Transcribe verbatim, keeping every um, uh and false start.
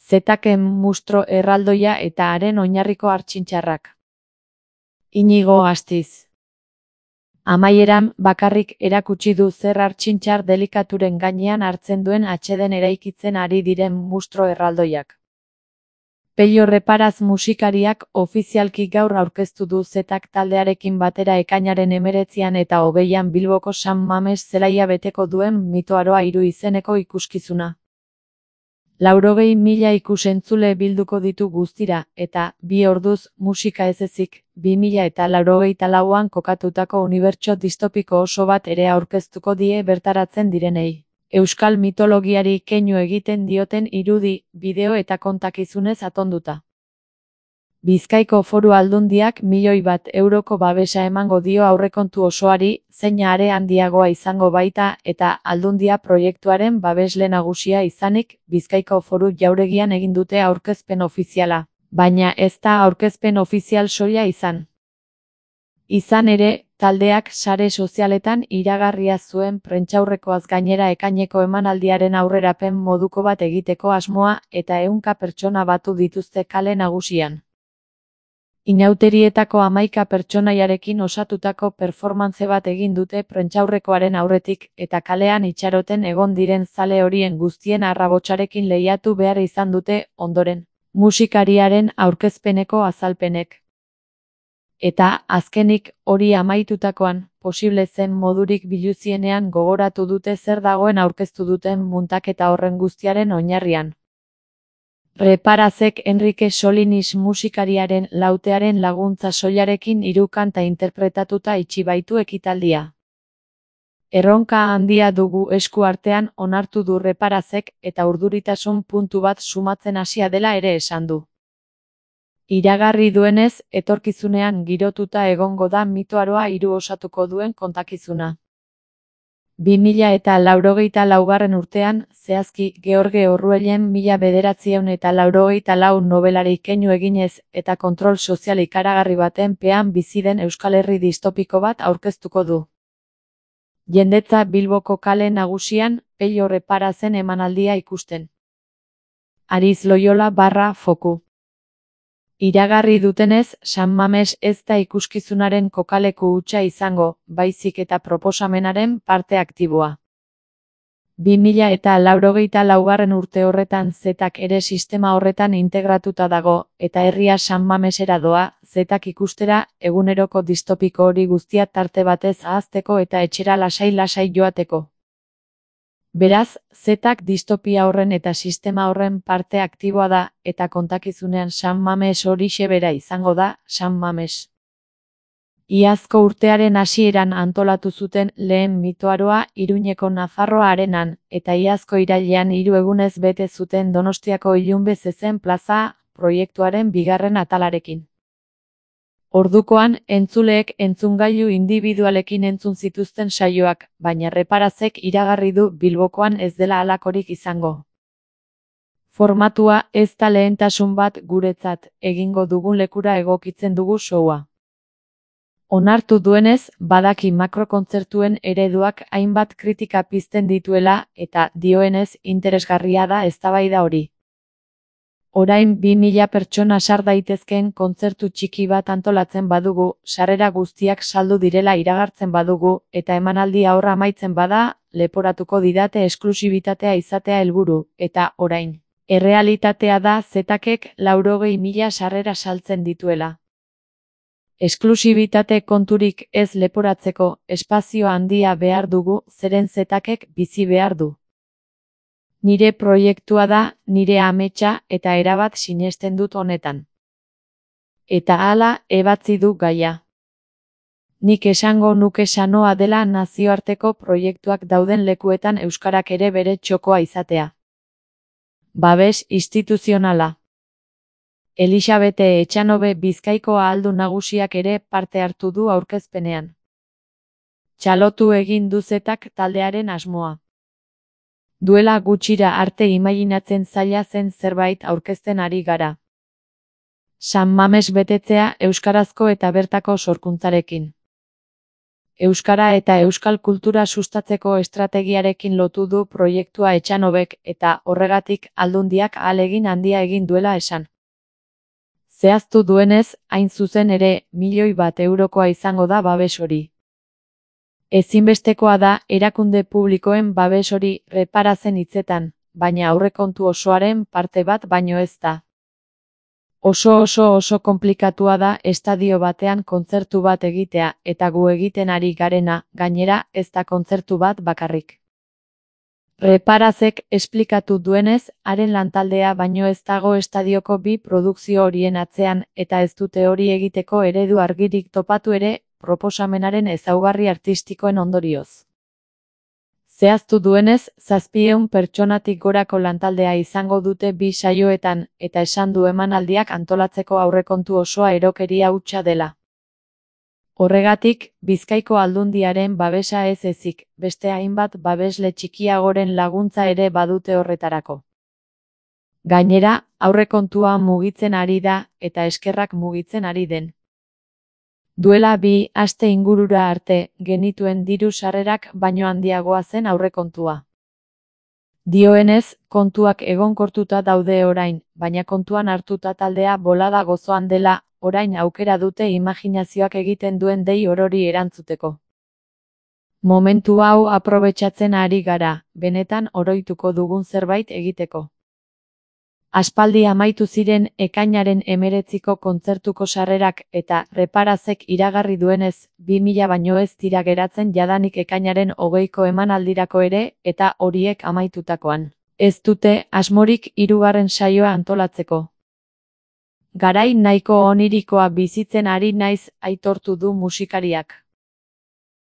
Zetaken mustro erraldoia eta haren oinarriko hartxintxarrak. Inigo Astiz. Amaieran, bakarrik erakutsi du zer hartxintxar delikaturen gainean hartzen duen atxeden eraikitzen ari diren mustro erraldoiak. Pello Reparaz musikariak ofizialki gaur aurkeztu du Zetak taldearekin batera ekainaren hemeretzian eta hogeian Bilboko San Mames zelaia beteko duen Mitoaroa hiru izeneko ikuskizuna. Laurogei mila ikusentzule bilduko ditu guztira, eta, bi orduz, musika ez ezik, bi mila eta laurogeita lauan kokatutako unibertso distopiko oso bat ere aurkeztuko die bertaratzen direnei. Euskal mitologiari keinu egiten dioten irudi, bideo eta kontakizunez atonduta. Bizkaiko Foru Aldundiak milioi bat euroko babesa emango dio aurrekontu osoari, zeina are handiagoa izango baita eta Aldundia proiektuaren babesle nagusia izanik, Bizkaiko Foru Jauregian egin dute aurkezpen ofiziala, baina ez da aurkezpen ofizial soila izan. Izan ere, taldeak sare sozialetan iragarria zuen prentsaurrekoaz gainera ekaineko emanaldiaren aurrerapen moduko bat egiteko asmoa eta ehunka pertsona batu dituzte kale nagusian. Inauterietako hamaika pertsonaiarekin osatutako performantze bat egin dute prentsaurrekoaren aurretik eta kalean itxaroten egon diren zale horien guztien arrabotsarekin lehiatu behar izan dute ondoren, musikariaren aurkezpeneko azalpenek. Eta, azkenik, hori amaitutakoan, posible zen modurik biluzienean gogoratu dute zer dagoen aurkeztu duten muntaketa horren guztiaren oinarrian. Reparazek Enrique Solinis musikariaren lautearen laguntza soilarekin hiru kanta interpretatuta itxi baitu ekitaldia. Erronka handia dugu esku artean onartu du Reparazek eta urduritasun puntu bat sumatzen hasia dela ere esan du. Iragarri duenez, etorkizunean girotuta egongo da Mitoaroa hiru osatuko duen kontakizuna. bi mila eta laurogeita laugarren urtean, zehazki George Orwellen mila bederatziehun eta laurogeita lau nobelari keinu eginez eta kontrol sozial ikaragarri baten pean bizi den Euskal Herri distopiko bat aurkeztuko du. Jendetza Bilboko kale nagusian, Pello Reparazen emanaldia ikusten. Ariz Loyola barra foku. Iragarri dutenez, San Mames ez da ikuskizunaren kokaleku hutsa izango, baizik eta proposamenaren parte aktiboa. bi mila eta laurogeita laugarren urte horretan Zetak ere sistema horretan integratuta dago, eta herria San Mamesera doa, Zetak ikustera, eguneroko distopiko hori guztia tarte batez ahazteko eta etxera lasai-lasai joateko. Beraz, Zetak distopia horren eta sistema horren parte aktiboa da, eta kontakizunean San Mames horixe bera izango da, San Mames. Iazko urtearen hasieran antolatu zuten lehen Mitoaroa Iruñeko Nafarroa Arenan, eta iazko irailean hiru egunez bete zuten Donostiako Ilunbe Zezen Plaza proiektuaren bigarren atalarekin. Ordukoan, entzuleek entzungailu indibidualekin entzun zituzten saioak, baina Reparazek iragarri du Bilbokoan ez dela halakorik izango. Formatua ez da lehentasun bat guretzat, egingo dugun lekura egokitzen dugu showa. Onartu duenez, badaki makrokontzertuen ereduak hainbat kritika pizten dituela, eta dioenez interesgarria da eztabaida hori. Orain bi mila pertsona sar daitezkeen kontzertu txiki bat antolatzen badugu, sarrera guztiak saldu direla iragartzen badugu, eta emanaldi ahorra amaitzen bada, leporatuko didate esklusibitatea izatea helburu, eta orain. Errealitatea da Zetakek laurogei mila sarrera saltzen dituela. Esklusibitate konturik ez leporatzeko, espazio handia behar dugu, zeren Zetakek bizi behar du. Nire proiektua da, nire ametsa eta erabat sinesten dut honetan. Eta hala, ebatzi du gaia. Nik esango nuke sanoa dela nazioarteko proiektuak dauden lekuetan euskarak ere bere txokoa izatea. Babes instituzionala. Elisabete Etxanobe Bizkaiko ahaldun nagusiak ere parte hartu du aurkezpenean. Txalotu egin du Zetak taldearen asmoa. Duela gutxira arte imaginatzen zaila zen zerbait aurkezten ari gara. San Mames betetzea euskarazko eta bertako sorkuntzarekin. Euskara eta euskal kultura sustatzeko estrategiarekin lotu du proiektua Etxanobek eta horregatik Aldundiak ahalegin handia egin duela esan. Zehaztu duenez, hain zuzen ere, milioi bat eurokoa izango da babes hori. Ezinbestekoa da erakunde publikoen babes hori reparazen hitzetan, baina aurrekontu osoaren parte bat baino ez da. Oso oso oso konplikatua da estadio batean kontzertu bat egitea, eta gu egiten ari garena, gainera, ez da kontzertu bat bakarrik. Reparazek esplikatu duenez, haren lantaldea baino ez dago estadioko bi produkzio horien atzean, eta ez dute hori egiteko eredu argirik topatu ere, proposamenaren ezaugarri artistikoen ondorioz. Zehaztu duenez, zazpiehun pertsonatik gorako lantaldea izango dute bi saioetan, eta esan du emanaldiak antolatzeko aurrekontu osoa erokeria hutsa dela. Horregatik, Bizkaiko Aldundiaren babesa ez ezik, beste hainbat babesle txikiagoren laguntza ere badute horretarako. Gainera, aurrekontua mugitzen ari da, eta eskerrak mugitzen ari den. Duela bi aste ingurura arte, genituen diru sarrerak baino handiagoa zen aurrekontua. Dioenez, kontuak egonkortuta daude orain, baina kontuan hartuta taldea bolada gozoan dela, orain aukera dute imaginazioak egiten duen dei orori erantzuteko. Momentu hau aprobetxatzen ari gara, benetan oroituko dugun zerbait egiteko. Aspaldi amaitu ziren ekainaren hemeretziko kontzertuko sarrerak eta Reparazek iragarri duenez, bi mila baino ez dira geratzen jadanik ekainaren hogeiko emanaldirako ere eta horiek amaitutakoan. Ez dute asmorik hirugarren saioa antolatzeko. Garai nahiko onirikoa bizitzen ari naiz aitortu du musikariak.